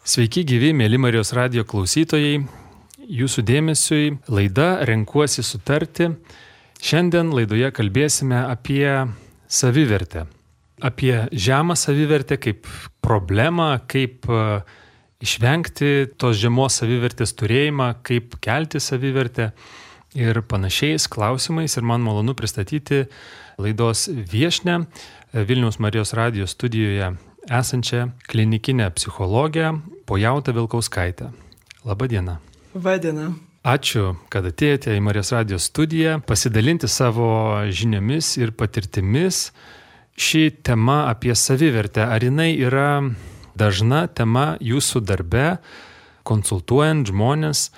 Sveiki gyvi, mėly Marijos radijo klausytojai. Jūsų dėmesiui laida Renkuosi sutarti. Šiandien laidoje kalbėsime apie savivertę. Apie žemą savivertę kaip problemą, kaip išvengti tos žemos savivertės turėjimą, kaip kelti savivertę ir panašiais klausimais. Ir man malonu pristatyti laidos viešnią Vilniaus Marijos radijo studijoje esančią klinikinę psichologę Pojautą Vilkauskaitę. Labą dieną. Vadiena. Ačiū, kad atėjote į Marijos radijo studiją pasidalinti savo žiniomis ir patirtimis. Ši tema apie savivertę, ar jinai yra dažna tema jūsų darbe, konsultuojant žmonės?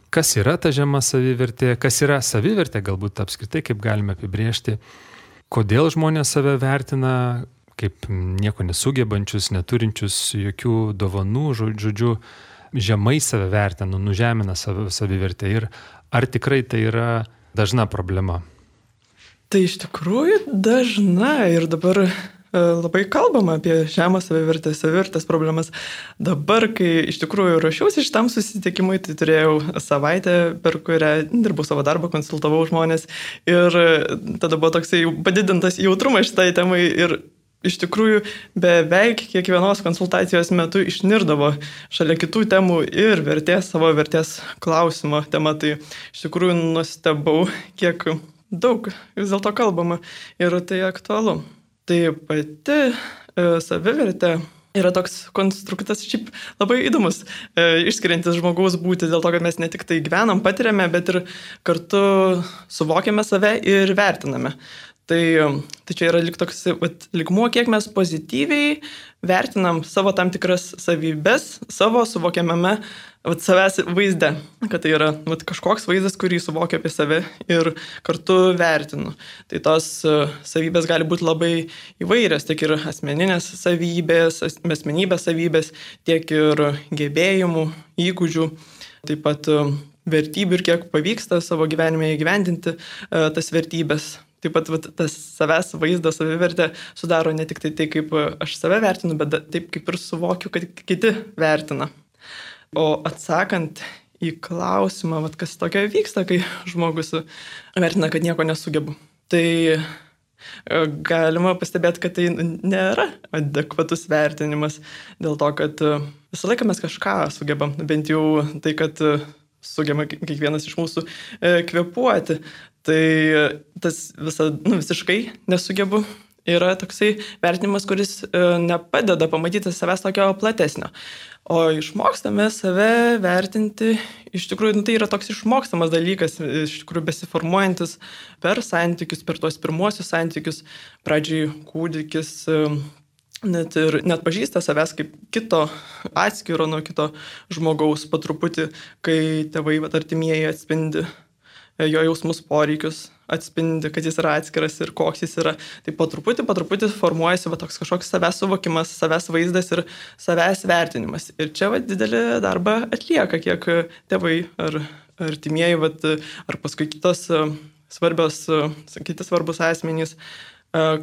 Kas yra ta žema savivertė? Kas yra savivertė, galbūt apskritai, kaip galime apibrėžti? Kodėl žmonės save vertina kaip nieko nesugebančius, neturinčius jokių dovanų, žodžiu, žemai save vertina, nužemina savivertę ir ar tikrai tai yra dažna problema? Tai iš tikrųjų dažna ir dabar labai kalbama apie žemą savivertę, savivertės problemas. Dabar, kai iš tikrųjų ruošiausi šitam susitikimui, tai turėjau savaitę, per kurią dirbau savo darbą, konsultavau žmonės ir tada buvo toksai padidintas jautrumas šitai temai ir iš tikrųjų beveik kiekvienos konsultacijos metu išnirdavo šalia kitų temų ir savo vertės klausimo tema. Tai iš tikrųjų nustebau, kiek daug vis dėlto kalbama ir tai aktualu. Tai pati savivertė yra toks konstruktas šiaip labai įdomus, išskiriantis žmogaus būti dėl to, kad mes ne tik tai gyvenam, patiriame, bet ir kartu suvokiame save ir vertiname. Tai čia yra toks lygmuo, kiek mes pozityviai vertinam savo tam tikras savybės, savo suvokiamame savęs vaizde. Kad tai yra kažkoks vaizdas, kurį suvokiu apie save ir kartu vertinu. Tai tos savybės gali būti labai įvairios, tiek ir asmeninės savybės, asmenybės savybės, tiek ir gebėjimų, įgūdžių, taip pat vertybių ir kiek pavyksta savo gyvenime įgyvendinti tas vertybės. Taip pat tas savęs vaizdas, savivertė sudaro ne tik tai, kaip aš save vertinu, bet taip kaip ir suvokiu, kad kiti vertina. O atsakant į klausimą, kas tokio vyksta, kai žmogus vertina, kad nieko nesugebu, tai galima pastebėti, kad tai nėra adekvatus vertinimas dėl to, kad visą laiką mes kažką sugebam, bent jau tai, kad sugeba kiekvienas iš mūsų kvėpuoti. Tai tas visiškai nesugebu yra toksai vertinimas, kuris nepadeda pamatyti savęs tokio platesnio. O išmokstame save vertinti, iš tikrųjų, tai yra toks išmokstamas dalykas, iš tikrųjų besiformuojantis per santykius, per tuos pirmuosius santykius. Pradžiai kūdikis net pažįsta savęs kaip kito atskiro nuo kito žmogaus po truputį, kai tėvai artimieji atspindi jo jausmus, poreikius, atspindi, kad jis yra atskiras ir koks jis yra. Tai po truputį formuojasi toks kažkoks savęs suvokimas, savęs vaizdas ir savęs vertinimas. Ir čia didelį darbą atlieka, kiek tėvai ar artimieji, ar paskui kitos kiti svarbus asmenys,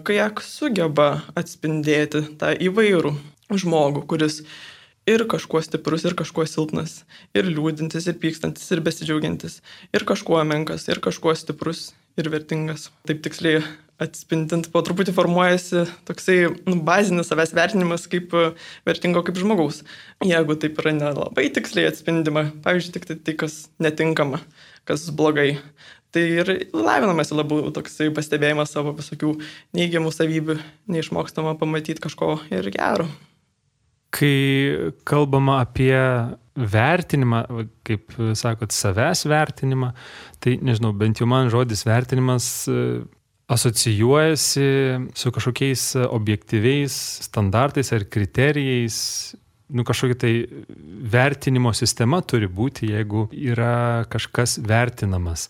kiek sugeba atspindėti tą įvairų žmogų, kuris ir kažkuo stiprus, ir kažkuo silpnas, ir liūdintis, ir pykstantis, ir besidžiaugiantis, ir kažkuo menkas, ir kažkuo stiprus, ir vertingas. Taip tiksliai atspindint, po truputį formuojasi toksai bazinis savęs vertinimas kaip vertingo kaip žmogaus. Jeigu taip yra nelabai tiksliai atspindima, pavyzdžiui, tik tai, kas netinkama, kas blogai, tai ir lavinamasi labiau toksai pastebėjimas savo visokių neigiamų savybių, neišmokstama pamatyti kažko ir gero. Kai kalbama apie vertinimą, kaip sakot, savęs vertinimą, tai nežinau, bent jau man žodis vertinimas asocijuojasi su kažkokiais objektyviais standartais ar kriterijais. Kažkokia tai vertinimo sistema turi būti, jeigu yra kažkas vertinamas.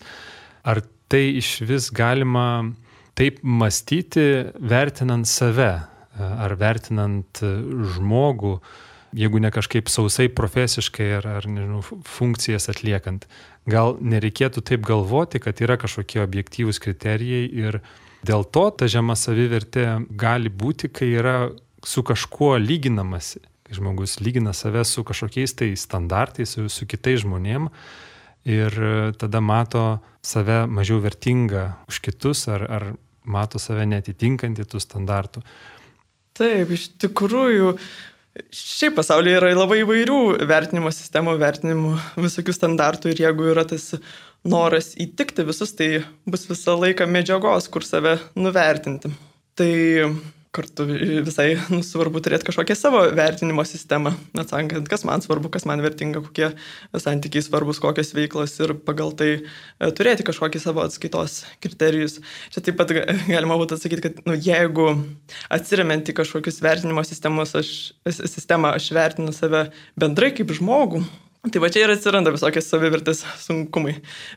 Ar tai iš vis galima taip mąstyti, vertinant save? Ar vertinant žmogų, jeigu ne kažkaip sausai profesiškai ar nežinau, funkcijas atliekant. Gal nereikėtų taip galvoti, kad yra kažkokie objektyvūs kriterijai ir dėl to ta žema savivertė gali būti, kai yra su kažkuo lyginamasi. kai žmogus lygina save su kažkokiais tai standartais, su kitais žmonėm ir tada mato save mažiau vertingą už kitus ar mato save netitinkantį tų standartų. Taip, iš tikrųjų, šiaip pasaulyje yra labai įvairių vertinimo sistemų, vertinimų visokių standartų ir jeigu yra tas noras įtikti visus, tai bus visą laiką medžiagos, kur save nuvertinti. Tai kartu visai svarbu turėti kažkokią savo vertinimo sistemą, atsakant, kas man svarbu, kas man vertinga, kokie santykiai svarbus, kokios veiklos ir pagal tai turėti kažkokį savo atskaitos kriterijus. Čia taip pat galima būtų atsakyti, kad jeigu atsiremiant į kažkokius vertinimo sistemą, aš vertinu save bendrai kaip žmogų, tai va čia ir atsiranda visokie savivertės sunkumai.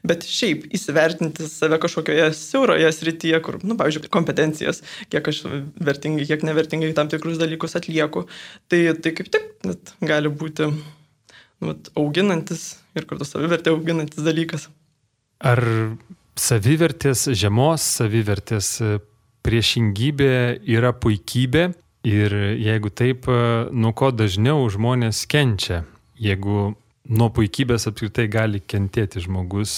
Bet šiaip įsivertinti save kažkokioje siauroje srityje, kur, pavyzdžiui, kompetencijas, kiek aš vertingai, kiek nevertingai tam tikrus dalykus atlieku, tai kaip tik gali būti auginantis ir kartu savivertė auginantis dalykas. Ar savivertės, žemos savivertės priešingybė yra puikybė ir jeigu taip, nuo ko dažniau žmonės kenčia, jeigu nuo puikybės apskritai gali kentėti žmogus,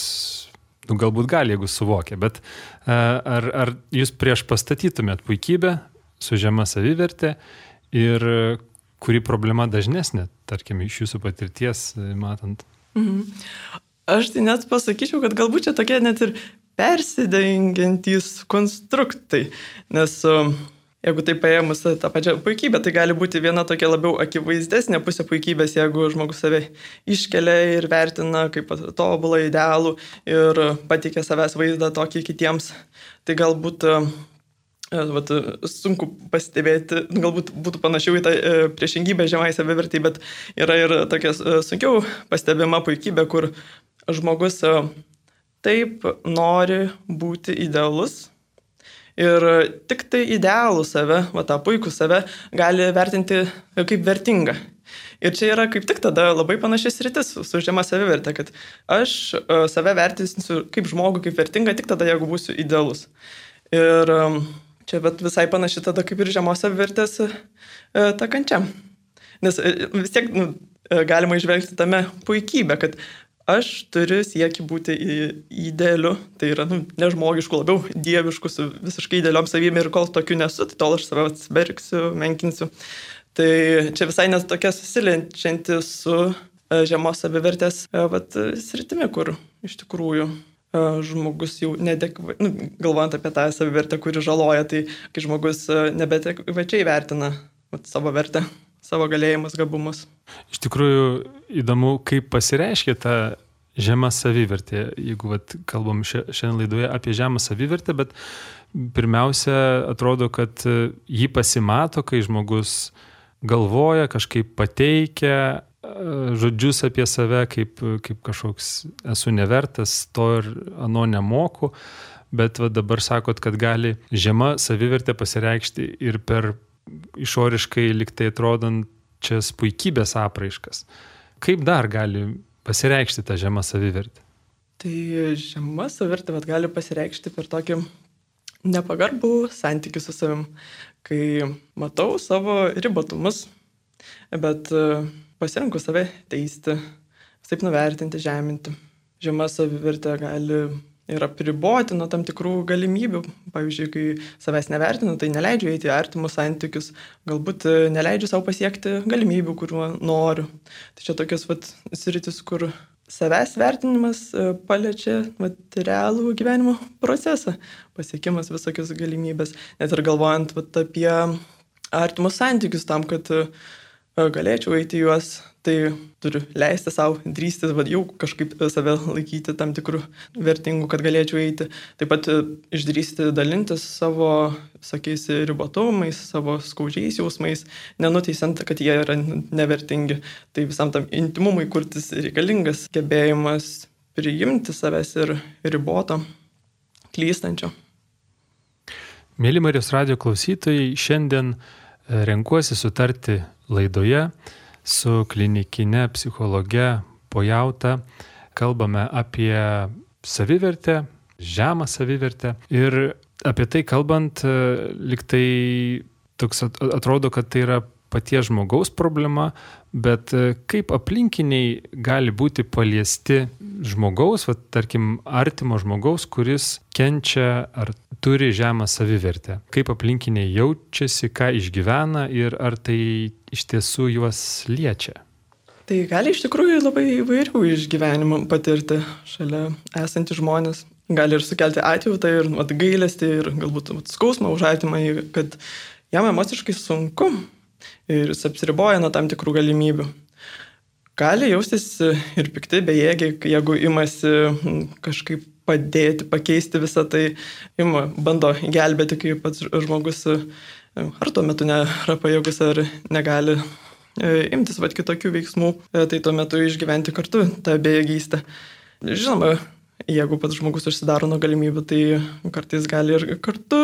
galbūt gali, jeigu suvokia, bet ar jūs prieš pastatytumėt puikybę su žema savivertė ir kuri problema dažnesnė, tarkim, iš jūsų patirties matant? Aš tai net pasakyčiau, kad galbūt čia tokie net ir persidengiantys konstruktai, nes jeigu tai paėmus tą pačią puikybę, tai gali būti viena tokia labiau akivaizdesnė pusė puikybės, jeigu žmogus save iškelia ir vertina kaip tobulą idealų ir pateikia savęs vaizdą tokį kitiems. Tai galbūt sunku pastebėti, galbūt būtų panašiau į tą priešingybę žemai savivertį, bet yra ir tokia sunkiau pastebima puikybė, kur žmogus taip nori būti idealus, ir tik tai idealų save, tą puikų save, gali vertinti kaip vertingą. Ir čia yra kaip tik tada labai panašis sritis su žema savivertė, kad aš save vertinsiu kaip žmogų, kaip vertingą, tik tada, jeigu būsiu idealus. Ir čia visai panaši tada kaip ir žemos savivertės ta kančia. Nes vis tiek galima išvelgti tame puikybę, kad aš turiu siekį būti idealiu, tai yra nežmogišku, labiau dievišku, su visiškai idealiom savybėm ir kol tokiu nesu, tai tol aš save atsibergsiu, menkinsiu. Tai čia visai net tokia susilenčianti su žemos savivertės sritimi, kur iš tikrųjų žmogus jau galvojant apie tą savivertę, kuri žaloja, tai kai žmogus nebeadekvačiai vertina savo vertę, savo galėjimus, gabumus. Iš tikrųjų įdomu, kaip pasireiškia ta žema savivertė, jeigu kalbam šiandien laidoje apie žemą savivertę, bet pirmiausia atrodo, kad jį pasimato, kai žmogus galvoja, kažkaip pateikia žodžius apie save, kaip kažkoks esu nevertas, to ir ano nemoku, bet dabar sakot, kad gali žema savivertė pasireikšti ir per išoriškai liktai atrodančias puikybės apraiškas. Kaip dar gali pasireikšti tą žemą savivertę? Tai žema savivertė gali pasireikšti per tokį nepagarbų santykį su savim, kai matau savo ribotumus, bet pasirinku save teisti, taip nuvertinti, žeminti. Žema savivertė gali ir apriboti nuo tam tikrų galimybių. Pavyzdžiui, kai savęs nevertinu, tai neleidžiu eiti į artimus santykius, galbūt neleidžiu savo pasiekti galimybių, kuriuo noriu. Tai čia tokios sritis, kur savęs vertinimas paliečia realų gyvenimo procesą, pasiekimas visokios galimybės. Net ir galvojant apie artimus santykius tam, kad galėčiau eiti juos, tai turiu leisti savo drįsti, jau kažkaip save laikyti tam tikrų vertingų, kad galėčiau eiti. Taip pat išdrįsti dalintis savo, sakysi, ribotumais, savo skaudžiais jausmais, nenuteisiant, kad jie yra nevertingi. Tai visam tam intimumui kurtis reikalingas gebėjimas priimti savęs ir riboto, klystančio. Mėly Marijos radijo klausytojai, šiandien renkuosi sutarti laidoje su klinikine psichologe Pojauta. Kalbame apie savivertę, žemą savivertę ir apie tai kalbant, liktai toks atrodo, kad tai yra paties žmogaus problema, bet kaip aplinkiniai gali būti paliesti žmogaus, tarkim, artimo žmogaus, kuris kenčia ar turi žemą savivertę. Kaip aplinkiniai jaučiasi, ką išgyvena ir ar tai iš tiesų juos liečia. Tai gali iš tikrųjų labai įvairių išgyvenimų patirti šalia esantys žmonės. Gali ir sukelti atjautą ir gailestį ir galbūt skausmą už artimą, kad jam emociškai sunku ir jis apsiriboja nuo tam tikrų galimybių. Gali jaustis ir pikti, bejėgiai, jeigu imasi kažkaip padėti, pakeisti visą tai, bando gelbėti, kai pats žmogus ar tuo metu nėra pajėgus ar negali imtis kitokių veiksmų, tai tuo metu išgyventi kartu tą bejėgystę. Žinoma, jeigu pats žmogus užsidaro nuo galimybių, tai kartais gali ir kartu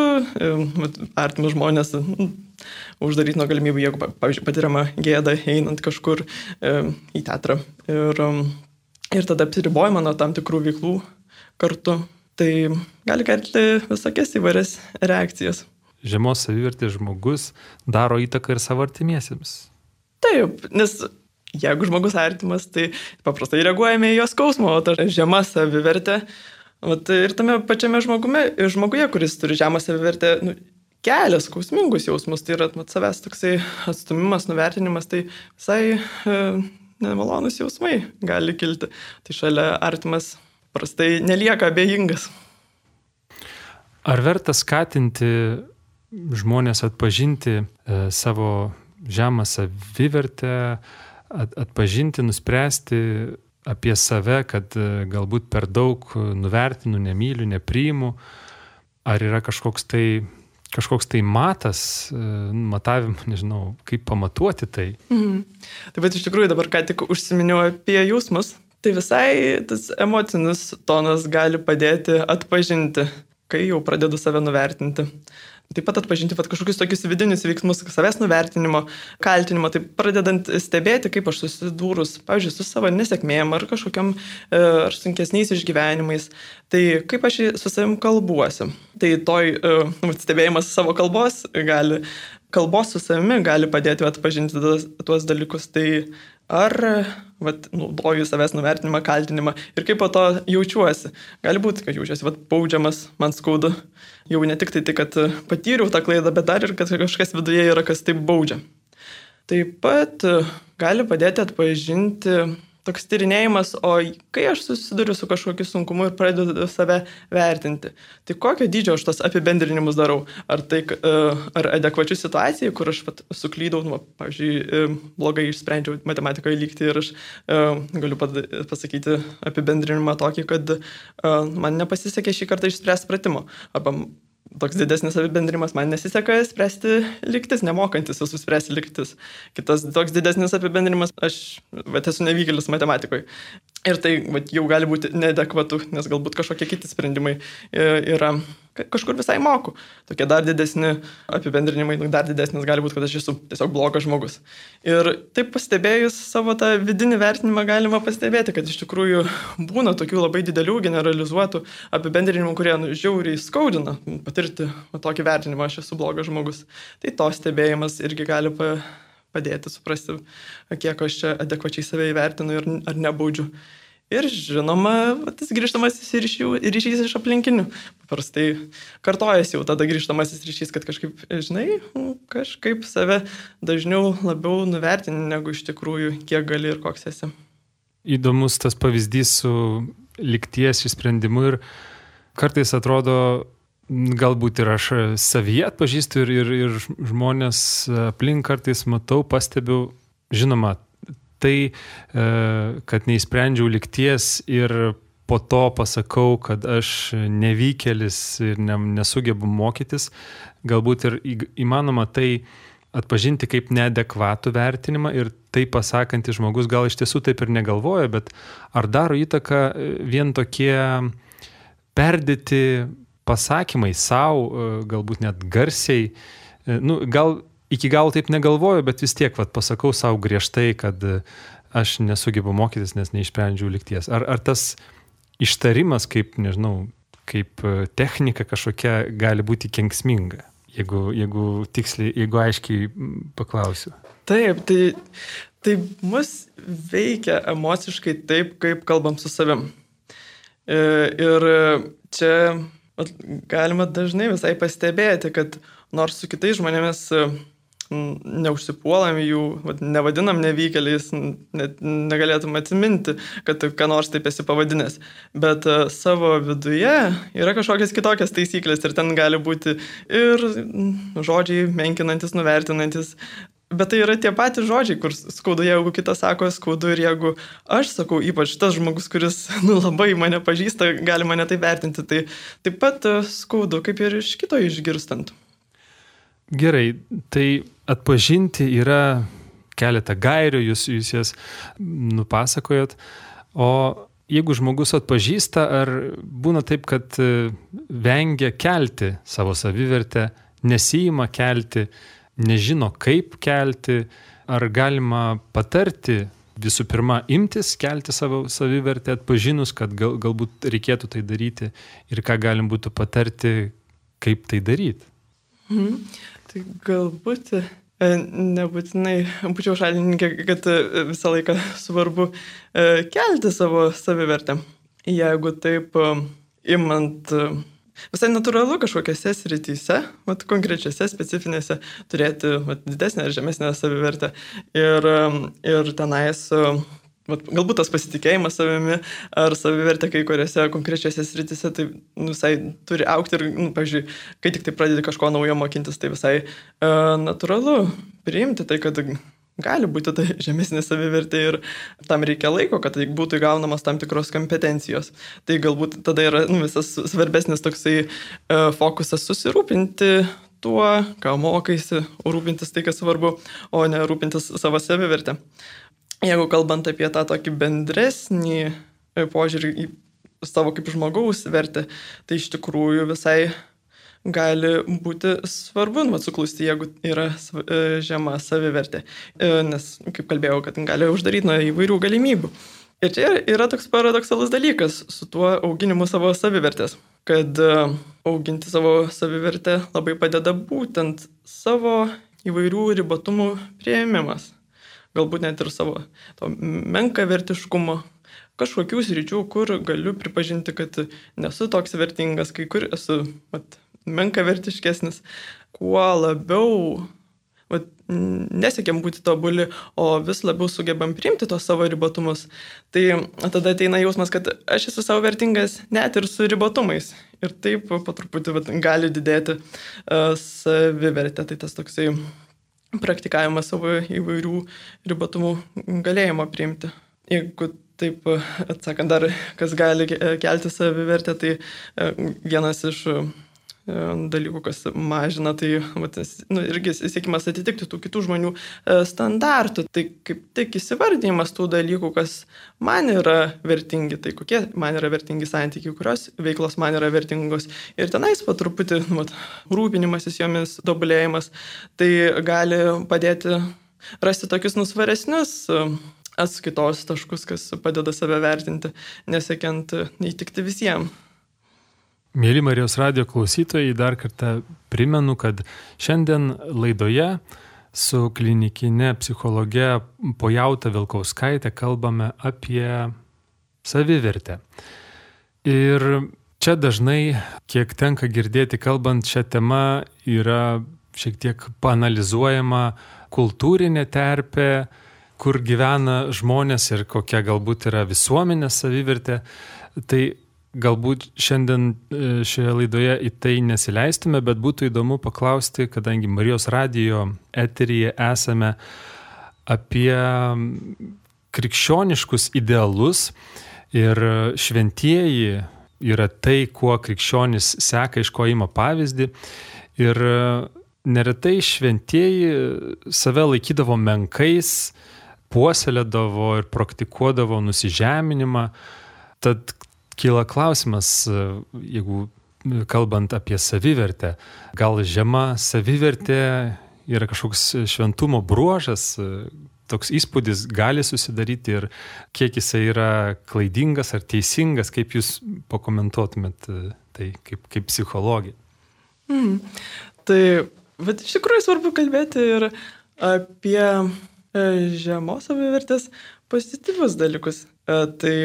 artimus žmonės uždaryti nuo galimybių, jeigu, pavyzdžiui, patiriama gėda einant kažkur į teatrą ir tada apsiribojama nuo tam tikrų veiklų kartu. Tai gali kelti visokias įvairias reakcijas. Žemos savivertės žmogus daro įtaką ir savo artimiesiems. Taip, nes jeigu žmogus artimas, tai paprastai reaguojame į jo skausmą, o ta žema savivertė, ir tame pačiame žmoguje, kuris turi žemą savivertę, kelia skausmingus jausmus, tai yra savęs toksai atstumimas, nuvertinimas, tai visai nemalonus jausmai gali kilti. Tai šalia artimas prastai nelieka abejingas. Ar verta skatinti žmonės atpažinti savo žemą savivertę, atpažinti, nuspręsti apie save, kad galbūt per daug nuvertinu, nemyliu, nepriimu? Ar yra kažkoks tai matas, matavimą, nežinau, kaip pamatuoti tai? Taip pat iš tikrųjų dabar ką tik užsiminiau apie jausmus, tai visai tas emocinis tonas gali padėti atpažinti, kai jau pradedu save nuvertinti. Taip pat atpažinti kažkokius tokius vidinius veiksmus, savęs nuvertinimo, kaltinimo, tai pradedant stebėti, kaip aš susidūrus, pavyzdžiui, su savo nesėkmėm ar kažkokiam ar sunkesniais išgyvenimais, tai kaip aš su savim kalbuosi. Tai stebėjimas savo kalbos su savimi gali padėti atpažinti tuos dalykus. Tai ar naudoju savęs nuvertinimą, kaltinimą ir kaip po to jaučiuosi. Gali būti, kad jaučiuosi baudžiamas, man skaudu. Jau ne tik tai, kad patyriau tą klaidą, bet dar ir kad kažkas viduje yra, kas taip baudžia. Taip pat gali padėti atpažinti toks tyrinėjimas, o kai aš susiduriu su kažkokiu sunkumu ir pradedu save vertinti, tai kokio dydžio aš tos apibendrinimus darau? Ar adekvačių situacijų, kur aš suklydau, pavyzdžiui, blogai išsprendžiau matematikoje lygtį ir aš galiu pasakyti apibendrinimą tokį, kad man nepasisekė šį kartą išspręsti pratimo. Arba toks didesnis apibendrimas, man nesiseka spręsti lygtis, nemokantis esu spręsti lygtis. Kitas toks didesnis apibendrimas, aš esu nevykėlis matematikoje. Ir tai jau gali būti neadekvatu, nes galbūt kažkokie kiti sprendimai yra kažkur visai moku. Tokie dar didesni apibendrinimai, dar didesnis gali būti, kad aš esu tiesiog blogas žmogus. Ir taip pastebėjus savo tą vidinį vertinimą galima pastebėti, kad iš tikrųjų būna tokių labai didelių generalizuotų apibendrinimų, kurie žiauriai skaudina patirti tokį vertinimą, aš esu blogas žmogus. Tai to stebėjimas irgi gali padėti suprasti, kiek aš čia adekvačiai save įvertinu ir ar nebaudžiu. Ir žinoma, tas grįžtamasis ryšys iš aplinkinių. Paprastai kartojasi jau tada grįžtamasis ryšys, kad kažkaip, kažkaip save dažniau labiau nuvertini, negu iš tikrųjų, kiek gali ir koks esi. Įdomus tas pavyzdys su lygties išsprendimu ir kartais atrodo, galbūt ir aš savyje atpažįstu ir žmonės aplink kartais matau, pastebiu, žinoma, tai, kad neįsprendžiau lygties ir po to pasakau, kad aš nevykėlis ir nesugebu mokytis, galbūt ir įmanoma tai atpažinti kaip neadekvatų vertinimą ir tai pasakantis žmogus gal iš tiesų taip ir negalvoja, bet ar daro įtaką vien tokie perdėti pasakymai savo, galbūt net garsiai, gal iki galo taip negalvoju, bet vis tiek pasakau savo griežtai, kad aš nesugebu mokytis, nes neišsprendžiau lygties. Ar tas ištarimas kaip technika kažkokia gali būti kenksminga, jeigu tiksliai, jeigu aiškiai paklausiu. Taip, tai mus veikia emociškai taip, kaip kalbam su savim. Ir čia galima dažnai visai pastebėti, kad nors su kitais žmonėmis neužsipuolam jų, nevadinam nevykėliais, net negalėtum atsiminti, kad ką nors taip esi pavadinęs. Bet savo viduje yra kažkokios kitokios taisyklės ir ten gali būti ir žodžiai menkinantis, nuvertinantis. Bet tai yra tie patys žodžiai, kur skaudu, jeigu kitas sako skaudu ir jeigu aš sakau, ypač tas žmogus, kuris labai mane pažįsta, gali mane taip vertinti, tai taip pat skaudu, kaip ir iš kito išgirstant. Gerai, tai atpažinti yra keletą gairių, jūs jas nupasakojot, o jeigu žmogus atpažįsta, ar būna taip, kad vengia kelti savo savivertę, nesiima kelti, nežino kaip kelti, ar galima patarti visų pirma imtis kelti savo savivertę, atpažinus, kad galbūt reikėtų tai daryti ir ką galim būtų patarti, kaip tai daryti? Tai galbūt nebūtinai būčiau šalininkė, kad visą laiką svarbu kelti savo savivertę. Jeigu taip imant visai natūralu kažkokiose srityse, konkrečiose, specifinėse, turėti didesnę ar žemesnę savivertę ir tenais galbūt tas pasitikėjimas savimi ar savivertė kai kuriuose konkrečiose srityse tai visai turi augti ir, pavyzdžiui, kai tik tai pradedi kažko naujo mokintis, tai visai natūralu priimti tai, kad gali būti tai žemesnė savivertė ir tam reikia laiko, kad tai būtų įgaunamas tam tikros kompetencijos. Tai galbūt tada yra visas svarbesnis toksai fokusas susirūpinti tuo, ką mokaisi, rūpintis tai, kas svarbu, o ne rūpintis savo savivertę. Jeigu kalbant apie tą tokį bendresnį požiūrį į savo kaip žmogaus vertę, tai iš tikrųjų visai gali būti svarbu suklusti, jeigu yra žema savivertė. Nes, kaip kalbėjau, kad gali uždaryti nuo įvairių galimybių. Ir čia yra toks paradoksalus dalykas su tuo auginimu savo savivertės, kad auginti savo savivertę labai padeda būtent savo įvairių ribotumų priėmimas. Galbūt net ir savo to menkavertiškumo, kažkokių sričių, kur galiu pripažinti, kad nesu toks vertingas, kai kur esu menkavertiškesnis. Kuo labiau nesiekiam būti tobuli, o vis labiau sugebam priimti tos savo ribotumus, tai tada ateina jausmas, kad aš esu savo vertingas net ir su ribotumais. Ir taip po truputį gali didėti savivertė. Tai tas toksai praktikavimas savo įvairių ribotumų galėjimo priimti. Jeigu taip atsakant dar, kas gali kelti savivertę, tai vienas iš dalykų, kas mažina, tai irgi siekimas atitikti tų kitų žmonių standartų. Tai kaip tik įsivardymas tų dalykų, kas man yra vertingi, tai kokie man yra vertingi santykiai, kurios veiklos man yra vertingos. Ir tenais po truputį rūpinimasis jomis, tobulėjimas, tai gali padėti rasti tokius svaresnius atskaitos taškus, kas padeda save vertinti, nesiekiant įtikti visiems. Mėly Marijos radijo klausytojai, dar kartą primenu, kad šiandien laidoje su klinikinė psichologe Pojauta Vilkauskaitė kalbame apie savivertę. Ir čia dažnai, kiek tenka girdėti kalbant šią temą, yra šiek tiek paanalizuojama kultūrinė terpė, kur gyvena žmonės ir kokia galbūt yra visuomenės savivertė. Tai galbūt šiandien šioje laidoje į tai nesileistume, bet būtų įdomu paklausti, kadangi Marijos radijo eteryje esame apie krikščioniškus idealus ir šventieji yra tai, kuo krikščionis seka, iš ko ima pavyzdį. Ir neretai šventieji save laikydavo menkais, puoselėdavo ir praktikuodavo nusižeminimą. Tad kyla klausimas, jeigu kalbant apie savivertę, gal žema savivertė yra kažkoks šventumo bruožas, toks įspūdis gali susidaryti ir kiek jisai yra klaidingas ar teisingas, kaip jūs pakomentuotumėt tai kaip psichologija? Tai, bet iš tikrųjų svarbu kalbėti ir apie žemos savivertės pozityvius dalykus. Tai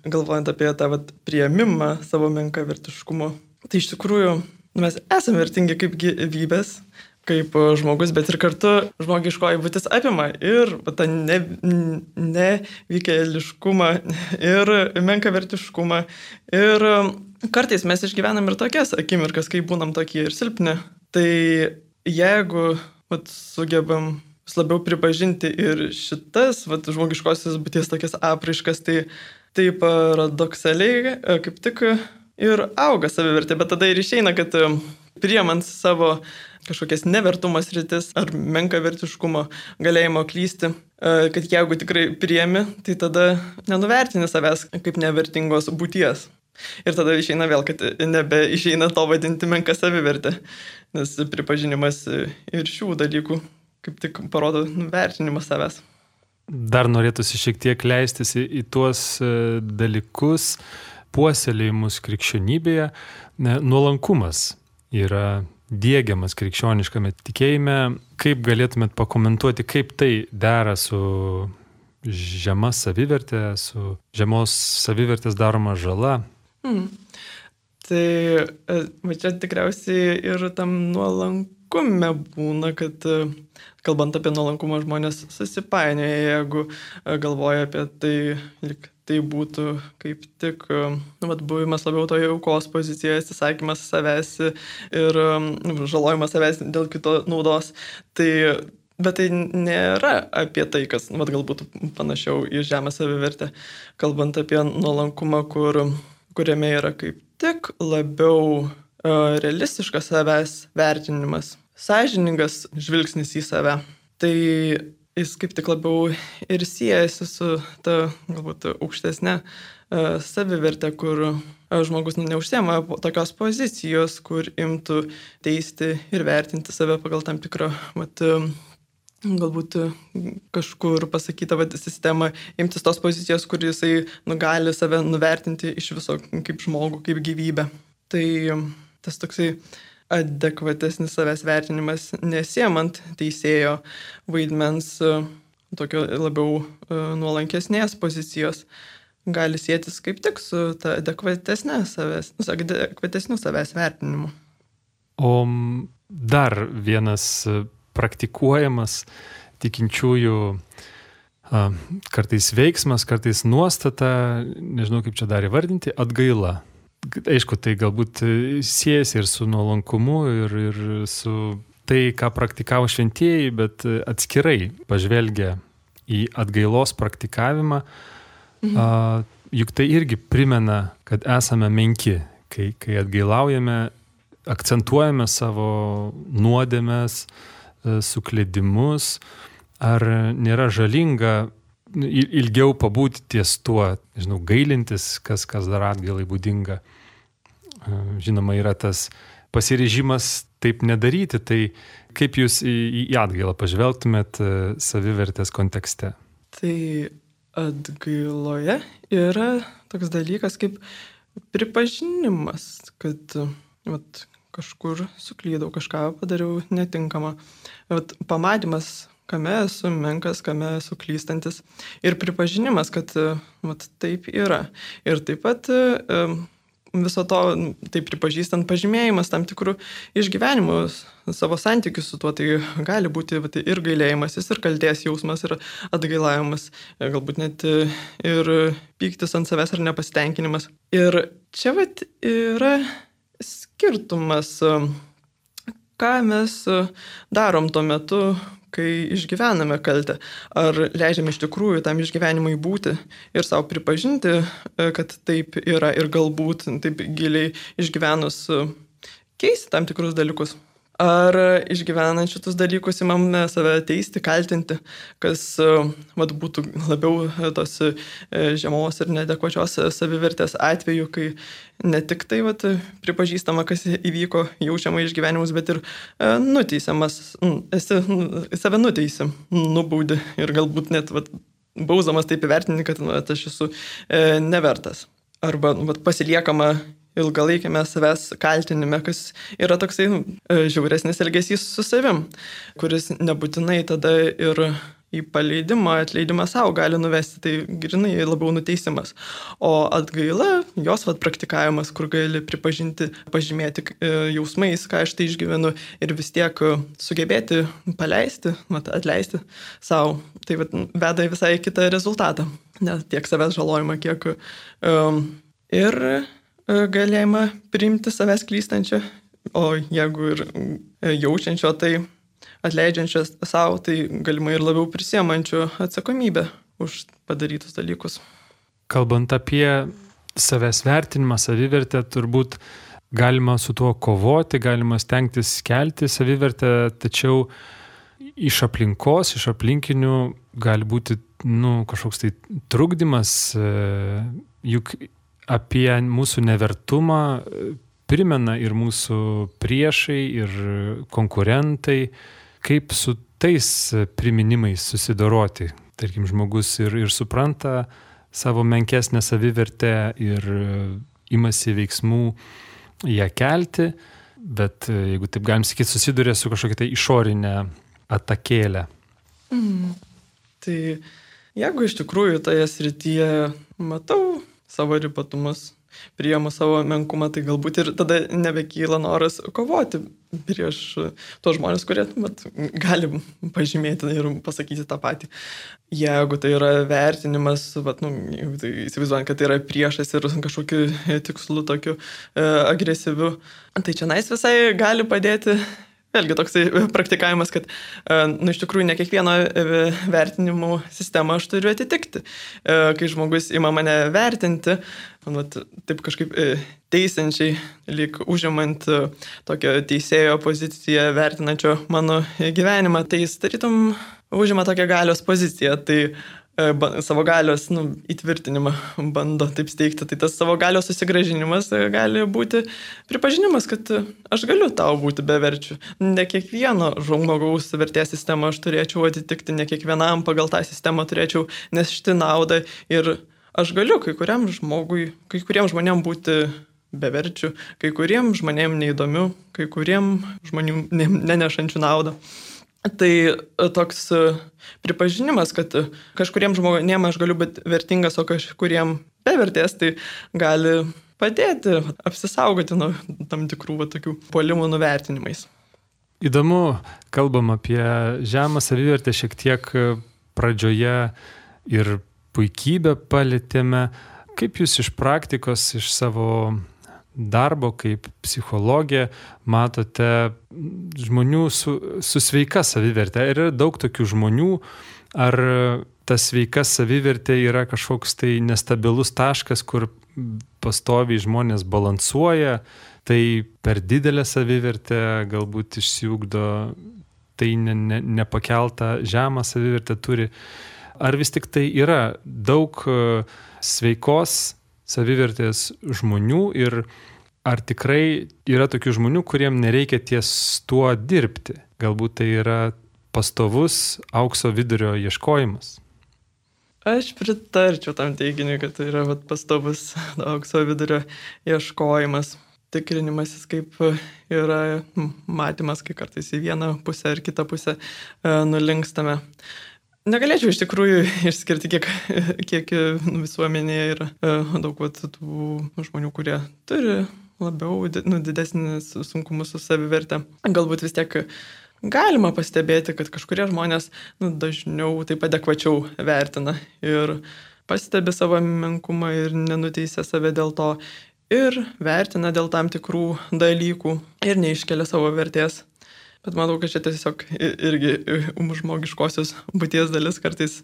galvojant apie tą priėmimą savo menkavertiškumo, tai iš tikrųjų mes esame vertingi kaip gyvybės, kaip žmogus, bet ir kartu žmogiškoji būtis apima ir tą nevykėliškumą, ir menkavertiškumą. Ir kartais mes išgyvenam ir tokias akimirkas, kai būnam tokie ir silpni. Tai jeigu sugebam vis labiau pripažinti ir šitas žmogiškosios būties tokias apraiškas, tai paradoksaliai kaip tik ir auga savivertė, bet tada ir išeina, kad priemant savo kažkokias nevertumas rytis ar menkavertiškumo galėjimo klysti, kad jeigu tikrai priemi, tai tada nenuvertini savęs kaip nevertingos būties. Ir tada išeina vėl, kad nebeišeina to vadinti menka savivertė, nes pripažinimas ir šių dalykų kaip tik parodo vertinimą savęs. Dar norėtųsi šiek tiek leistis į tuos dalykus, puoselėjimus krikščionybėje. Nuolankumas yra diegiamas krikščioniškame tikėjime. Kaip galėtumėt pakomentuoti, kaip tai dera su žema savivertė, su žemos savivertės daroma žala? Tai čia tikriausiai ir tam nuolankume būna, kad kalbant apie nuolankumą žmonės susipainioja, jeigu galvoja apie tai, lyg tai būtų kaip tik buvimas labiau toje aukos pozicijoje, atsisakymas savęs ir žalojimas savęs dėl kito naudos. Bet tai nėra apie tai, kas galbūt panašiau į žemą savivertę, kalbant apie nuolankumą, kuriame yra kaip tik labiau realistiškas savęs vertinimas, sąžiningas žvilgsnis į save. Tai jis kaip tik labiau ir siejasi su ta galbūt aukštesnė savivertė, kur žmogus neužsiema tokios pozicijos, kur imtų teisti ir vertinti save pagal tam tikrą galbūt kažkur pasakytą sistemą, imtis tos pozicijos, kur jisai gali save nuvertinti iš viso kaip žmogų, kaip gyvybę. Tai tas toksai adekvatesnis savęs vertinimas, nesiemant teisėjo vaidmens tokio labiau nuolankesnės pozicijos, gali sėtis kaip tik su ta adekvatesniu savęs vertinimu. O dar vienas praktikuojamas tikinčiųjų kartais veiksmas, kartais nuostata, nežinau kaip čia dar įvardinti, atgaila. Aišku, tai galbūt siejasi ir su nuolankumu, ir su tai, ką praktikavo šventieji, bet atskirai pažvelgia į atgailos praktikavimą, juk tai irgi primena, kad esame menki, kai atgailaujame, akcentuojame savo nuodėmes, sukledimus, ar nėra žalinga ilgiau pabūti ties tuo, nežinau, gailintis, kas dar atgailai būdinga. Žinoma, yra tas pasiryžimas taip nedaryti, tai kaip jūs į atgailą pažvelgtumėt savivertės kontekste? Tai atgailoje yra toks dalykas kaip pripažinimas, kad kažkur suklydau, kažką padariau netinkamą. Pamatymas, kame esu menkas, kame esu klystantis. Ir pripažinimas, kad taip yra. Ir taip pat viso to, taip pripažįstant, pažymėjimas tam tikrų išgyvenimų, savo santykius su tuo, tai gali būti ir gailėjimasis, ir kaltės jausmas, ir atgailavimas, galbūt net ir pyktis ant savęs ar nepasitenkinimas. Ir čia yra skirtumas, ką mes darom tuo metu, kai išgyvename kaltę. Ar leidžiame iš tikrųjų tam išgyvenimui būti ir savo pripažinti, kad taip yra ir galbūt taip giliai išgyvenus keisti tam tikrus dalykus. Ar išgyvenant šitus dalykus imame save teisti, kaltinti, kas būtų labiau tos žemos ir neadekvačios savivertės atveju, kai ne tik tai pripažįstama, kas įvyko, jaučiama išgyvenimus, bet ir nuteisiamas, esi save nuteisi, nubaudi ir galbūt net bausdamas taip įvertinti, kad aš esu nevertas. Arba pasiliekama ilgalaikėme savęs kaltinime, kas yra toksai žiauresnis elgesys su savim, kuris nebūtinai tada ir į paleidimą, atleidimą savo gali nuvesti, tai grinai labiau nuteisimas. O atgaila, jos praktikavimas, kur gali pripažinti, pažymėti jausmais, ką aš tai išgyvenu ir vis tiek sugebėti paleisti, atleisti savo, tai veda į visai kitą rezultatą. Ne tiek savęs žalojimą, kiek ir galėjimą priimti savęs klystančią, o jeigu ir jaučiančio, tai atleidžiančios savo, tai galimai ir labiau prisiemančių atsakomybę už padarytus dalykus. Kalbant apie savęs vertinimą, savivertę, turbūt galima su tuo kovoti, galima stengtis kelti savivertę, tačiau iš aplinkos, iš aplinkinių gali būti kažkoks tai trukdymas, juk apie mūsų nevertumą primena ir mūsų priešai, ir konkurentai. Kaip su tais priminimais susidoroti? Tarkim, žmogus ir supranta savo menkesnę savivertę ir imasi veiksmų ją kelti, bet jeigu taip galim sakyti, susiduria su kažkokia tai išorinė atakėlė. Tai jeigu iš tikrųjų toje srityje matau savo ribatumus, priimu savo menkumą, tai galbūt ir tada nebekyla noras kovoti prieš tuos žmonės, kurie gali pažymėti ir pasakyti tą patį. Jeigu tai yra vertinimas, tai įsivaizduojant, kad tai yra priešas ir kažkokiu tikslu tokiu agresyviu, tai čia visai gali padėti. Vėlgi toksai praktikavimas, kad iš tikrųjų ne kiekvieno vertinimų sistemą aš turiu atitikti. Kai žmogus ima mane vertinti, taip kažkaip teisiančiai, lyg užimant tokią teisėjo poziciją vertinančio mano gyvenimą, tai jis tarytum užima tokią galios poziciją. Tai savo galios įtvirtinimą bando taip steigti. Tai tas savo galios susigrąžinimas gali būti pripažinimas, kad aš galiu tau būti beverčiu. Ne kiekvieno žmogaus vertės sistemą aš turėčiau atitikti, ne kiekvienam pagal tą sistemą turėčiau nešti naudą ir aš galiu kai kuriem žmonėm būti beverčiu, kai kuriem žmonėm neįdomiu, kai kuriem žmonėm nenešančių naudą. Tai toks pripažinimas, kad kažkuriem žmonėm aš galiu būti vertingas, o kažkuriem bevertės, tai gali padėti apsisaugoti nuo tam tikrų tokių puolimų nuvertinimais. Įdomu, kalbam apie žemą savivertę šiek tiek pradžioje ir puikybę palėtėme. Kaip jūs iš praktikos, iš savo darbo kaip psichologė matote žmonių su sveika savivertė? Yra daug tokių žmonių, ar ta sveika savivertė yra kažkoks tai nestabilus taškas, kur pastoviai žmonės balansuoja, tai per didelę savivertę galbūt išsiugdo, tai nepakeltą žemą savivertę turi. Ar vis tik tai yra daug sveikos savivertės žmonių ir ar tikrai yra tokių žmonių, kuriem nereikia ties tuo dirbti? Galbūt tai yra pastovus aukso vidurio ieškojimas. Aš pritarčiau tam teiginiui, kad tai yra pastovus aukso vidurio ieškojimas. Tikrinimasis, kaip yra matymas, kai kartais į vieną pusę ar kitą pusę nulinkstame. Negalėčiau iš tikrųjų išskirti, kiek visuomenėje yra daug tų žmonių, kurie turi labiau didesnis sunkumus su savivertė. Galbūt vis tiek galima pastebėti, kad kažkurie žmonės dažniau taip adekvačiau vertina ir pastebi savo menkumą ir nenuteisia save dėl to ir vertina dėl tam tikrų dalykų ir neiškelia savo vertės. Bet manau, kad čia tiesiog irgi žmogiškosios būties dalis kartais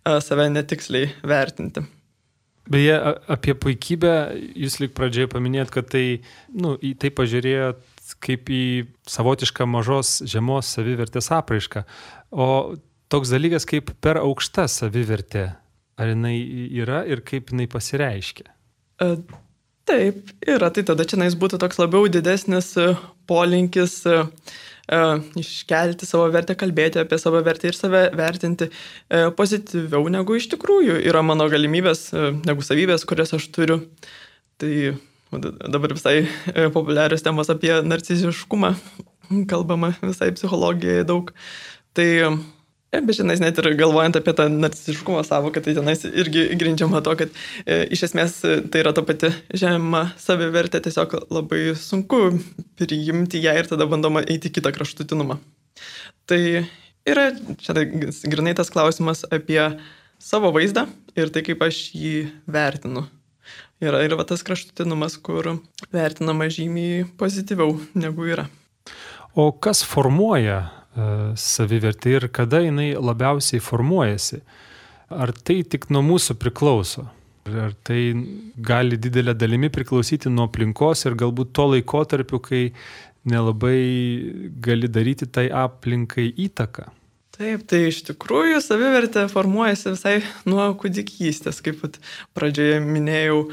save netiksliai vertinti. Beje, apie puikybę jūs lyg pradžioje paminėjot, kad tai, į tai pažiūrėjot kaip į savotišką mažos žemos savivertės apraišką. O toks dalykas kaip per aukšta savivertė, ar jinai yra ir kaip jinai pasireiškia? Taip, yra. Tai tada čia būtų toks labiau didesnis polinkis iškelti savo vertę, kalbėti apie savo vertę ir save vertinti pozityviau negu iš tikrųjų yra mano galimybės, negu savybės, kurias aš turiu. Tai dabar visai populiarios temos apie narciziškumą, kalbama visai psichologijoje daug. Tai, bet žinai, net ir galvojant apie tą narciziškumo savoką, tai tenais irgi grindžiama to, kad iš esmės tai yra ta pati žema savivertė, tiesiog labai sunku priimti ją ir tada bandoma eiti į kitą kraštutinumą. Tai yra čia grinai tas klausimas apie savo vaizdą ir tai, kaip aš jį vertinu. Yra ir tas kraštutinumas, kur vertinama žymiai pozityviau negu yra. O kas formuoja savivertę ir kada jinai labiausiai formuojasi? Ar tai tik nuo mūsų priklauso? Ar tai gali didelė dalimi priklausyti nuo aplinkos ir galbūt to laikotarpiu, kai nelabai gali daryti tai aplinkai įtaką? Taip, tai iš tikrųjų savivertė formuojasi visai nuo kūdikystės, kaip pradžioje minėjau,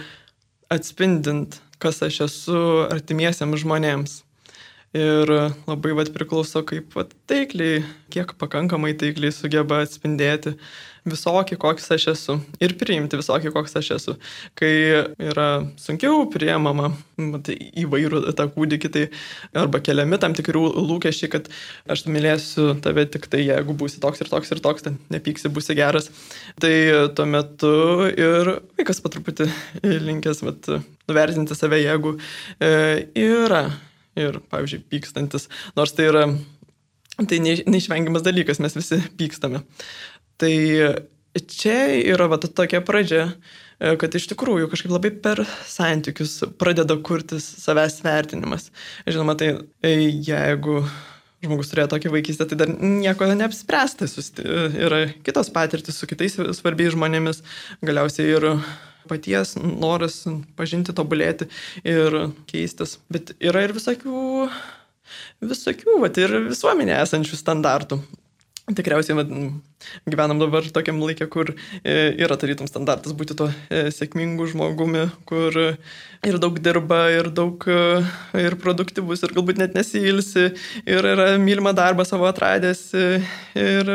atspindint, kas aš esu artimiesiems žmonėms. Ir labai priklauso, kaip taikliai, kiek pakankamai taikliai sugeba atspindėti visokį, koks aš esu ir priimti visokį, koks aš esu. Kai yra sunkiau priemama įvairių tą kūdikį, tai arba keliami tam tikrų lūkesčiai, kad aš mylėsiu tave tik tai, jeigu būsi toks ir toks ir toks, tai nepyksi, būsi geras. Tai tuo metu ir vaikas po truputį linkęs nuvertinti save, jeigu yra. Ir, pavyzdžiui, pykstantis, nors tai yra neišvengiamas dalykas, mes visi pykstame. Tai čia yra tokia pradžia, kad iš tikrųjų kažkaip labai per santykius pradeda kurtis savęs vertinimas. Žinoma, tai jeigu žmogus turėjo tokį vaikystę, tai dar nieko neapspręsta, yra kitos patirtis su kitais svarbiais žmonėmis, galiausiai ir paties noras pažinti, tobulėti ir keistis. Bet yra ir visokių ir visuomenėje esančių standartų. Tikriausiai gyvenam dabar tokiam laikė, kur yra tarytum standartas būti tuo sėkmingu žmogumi, kur ir daug dirba, ir daug ir produktyvus, ir galbūt net nesiilsi, ir yra mylimą darbą savo atradęs, ir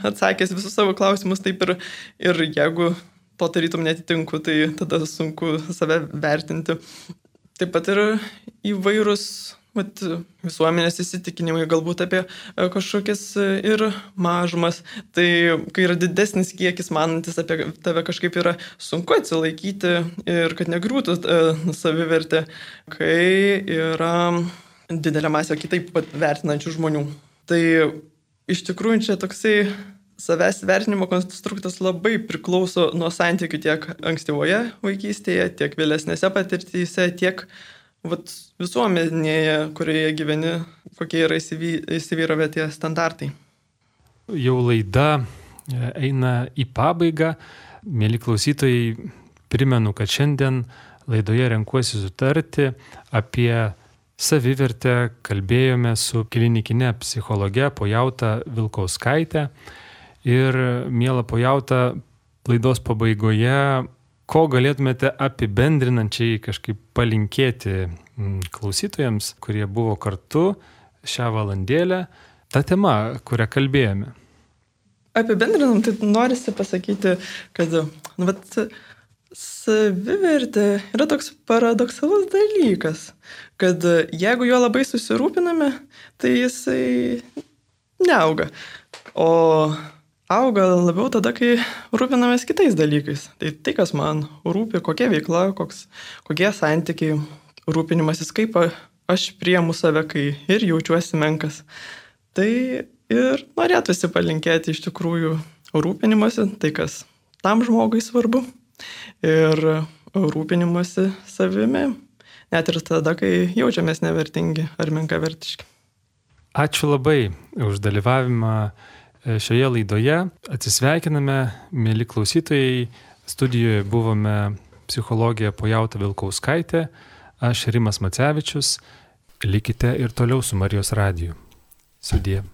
atsakęs visus savo klausimus taip ir jeigu to tarytum netitinku, tai tada sunku save vertinti. Taip pat ir įvairūs visuomenės įsitikinimai, galbūt apie kažkokias ir mažumas. Tai kai yra didesnis kiekis manantis apie tave, kažkaip yra sunku atsilaikyti ir kad negriūtų savivertė, kai yra didelė masė kitaip vertinančių žmonių. Tai iš tikrųjų čia toksai savęs vertinimo konstruktas labai priklauso nuo santykių tiek ankstyvoje vaikystėje, tiek vėlesnėse patirtyse, tiek visuomenėje, kurioje gyveni, kokie yra įsivyravę tie standartai. Jau laida eina į pabaigą. Mieli klausytojai, primenu, kad šiandien laidoje renkuosi sutarti apie savivertę. Kalbėjome su klinikine psichologe Pojauta Vilkauskaite. Ir, miela Pojauta, laidos pabaigoje, ko galėtumėte apibendrinančiai kažkaip palinkėti klausytojams, kurie buvo kartu šią valandėlę, tą temą, kurią kalbėjome? Apibendrinam, tai norisi pasakyti, kad savivertė yra toks paradoksalus dalykas, kad jeigu jo labai susirūpiname, tai jisai neauga. O auga labiau tada, kai rūpinamės kitais dalykais. Tai kas man rūpi, kokia veikla, kokie santykiai, rūpinimasis, kaip aš priimu save, kai ir jaučiuosi menkas. Tai ir norėtųsi palinkėti iš tikrųjų rūpinimasi, tai kas tam žmogui svarbu. Ir rūpinimasi savimi, net ir tada, kai jaučiamės nevertingi ar menkavertiški. Ačiū labai už dalyvavimą šioje laidoje. Atsisveikiname, mieli klausytojai. Studijoje buvome psichologė Pojauta Vilkauskaitė, aš Rimas Macevičius. Likite ir toliau su Marijos radiju. Sudie.